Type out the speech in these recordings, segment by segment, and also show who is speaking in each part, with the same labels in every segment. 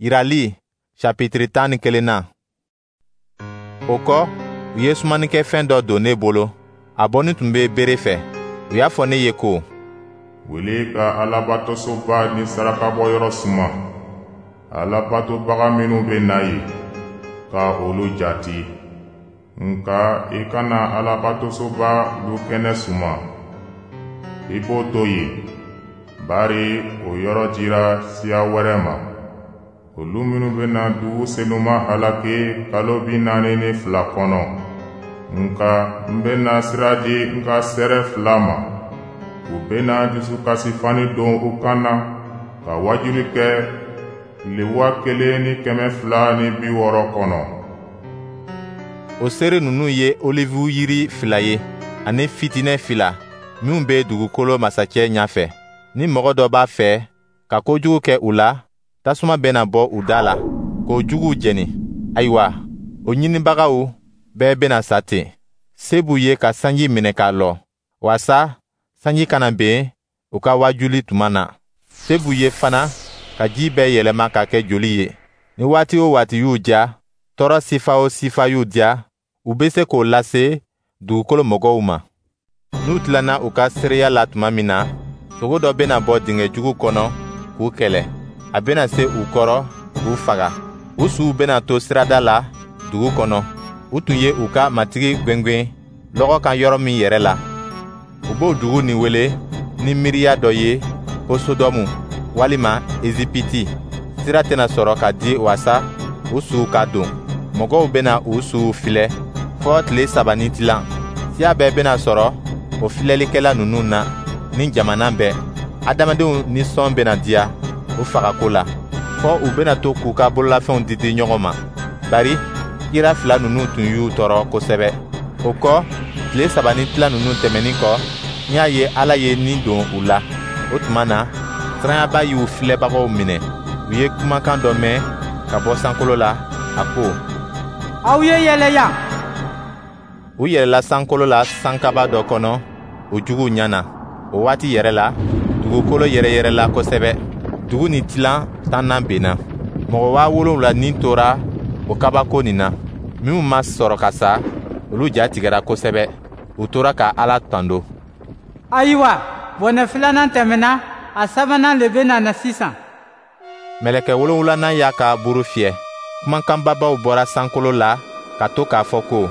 Speaker 1: Yirali chapitre 11nan. O kɔ, u ye sumanikɛfɛn dɔ don ne bolo, a bɔnin tun bɛ bere fɛ. U y'a fɔ ne ye ko:
Speaker 2: Wuli ka Alabatosoba ni sarakabɔyɔrɔ suma. Alabatobaga minnu bɛ na yen, ka olu jati. Nka i kana Alabatosoba lukɛnɛ suma. I b'o to yen, bari o yɔrɔ dira siya wɛrɛ ma. Olu minnu bɛna dugu senuma halaki kalo 42 kɔnɔ. Nka n bɛna sira di n ka seere fila ma. U bɛna dusukasifani don u kan na ka wajuli kɛ tile 1260 kɔnɔ.
Speaker 1: O seere ninnu ye olivu yiri fila ye, ani fitinɛ fila minw bɛ dugukolo masacɛ ɲɛfɛ. Ni mɔgɔ dɔ b'a fɛ ka kojugu kɛ u la, tasuma bɛna bɔ u da la k'o juguw jeni. Ayiwa, o ɲinibagaw bɛɛ bɛna sa ten. Se b'u ye ka sanji minɛ k'a lɔ, waasa sanji kana ben u ka wajuli tuma na. Se b'u ye fana ka ji bɛɛ yɛlɛma ka kɛ joli ye. Ni waati o waati y'u diya, tɔɔrɔ sifa o sifa y'u diya, u bɛ se k'o lase dugukolo mɔgɔw ma. N'u tilanna u ka seereya la tuma min na, sogo dɔ bɛna bɔ dingɛ jugu kɔnɔ k'u kɛlɛ. A bɛna se u kɔrɔ k'u faga. U suw bɛna to sirada la dugu kɔnɔ. U tun ye u ka Matigi gwengwen lɔgɔ kan yɔrɔ min yɛrɛ la. U b'o dugu nin wele ni miiriya dɔ ye ko Sodɔmu walima Ezipiti. Sira tɛna sɔrɔ ka di waasa u suw ka don. Mɔgɔw bɛna u suw filɛ fɔ tile 3 ni tilan. Siya bɛɛ bɛna sɔrɔ o filɛlikɛla ninnu na ni jamana bɛɛ. Adamadenw nisɔn bɛna diya u fagako la, fɔ u bɛna to k'u ka bololafɛnw didi ɲɔgɔn ma, bari kira fila ninnu tun y'u tɔɔrɔ kosɛbɛ. O kɔ, tile 3 ni tilan ninnu tɛmɛnin kɔ, n y'a ye Ala ye ni don u la. O tuma na, siranyaba y'u filɛbagaw minɛ. U ye kumakan dɔ mɛn ka bɔ sankolo la, a ko:
Speaker 3: Aw ye yɛlɛ yan.
Speaker 1: U yɛlɛla sankolo la sankaba dɔ kɔnɔ u juguw ɲɛ na. O waati yɛrɛ la, dugukolo yɛrɛyɛrɛla kosɛbɛ. Dugu ni tilan 10nan benna. Mɔgɔ 70,000 ni tora o kabako nin na. Minnu ma sɔrɔ ka sa, olu ja tigɛra kosɛbɛ. U tora ka Ala tando.
Speaker 3: Ayiwa, bɔnɛ filanan tɛmɛna, a sabanan le bɛna na sisan.
Speaker 1: Mɛlɛkɛ wolonwulanan y'a ka buru fiyɛ. Kumakanbabaw bɔra sankolo la ka to k'a fɔ ko: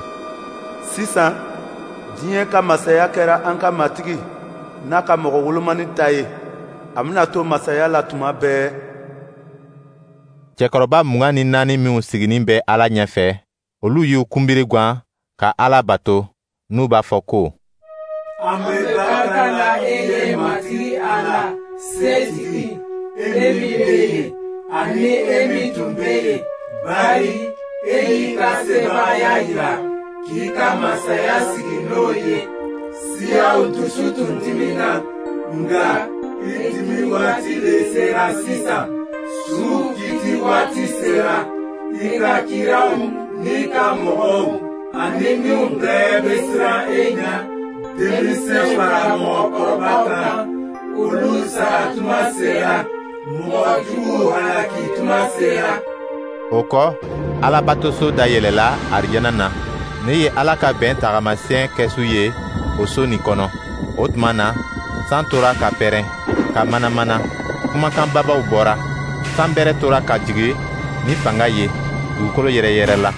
Speaker 4: Sisan, diɲɛ ka masaya kɛra an ka Matigi n'a ka mɔgɔ wolomani ta ye. A bɛna to masaya la tuma bɛɛ.
Speaker 1: Cɛkɔrɔba 24 minw siginin bɛ Ala ɲɛfɛ, olu y'u kunbiri gwan ka Ala bato, n'u b'a fɔ ko:
Speaker 5: An bɛ barika la e ye, Matigi Ala, Setigi, e min bɛ yen, ani e min tun bɛ yen, bari e y'i ka sebaaya jira k'i ka masaya sigi n'o ye. Siyaw dusu tun dimina, nka i dimi waati le sera sisan. Suw kiti waati sera. I ka kiraw n'i ka mɔgɔw ani minnu bɛɛ bɛ siran e ɲɛ, denmisɛn fara mɔgɔkɔrɔba kan, olu sara tuma sera. Mɔgɔ juguw halaki tuma sera.
Speaker 1: O kɔ, Alabatoso dayɛlɛla arijana na. Ne ye Ala ka bɛn tagamasiyɛn kɛsu ye o so nin kɔnɔ. O tuma na, san tora ka pɛrɛn, ka manamana, kumakan babaw bɔra. San bɛrɛ tora ka jigin ni fanga ye, dugukolo yɛrɛyɛrɛla.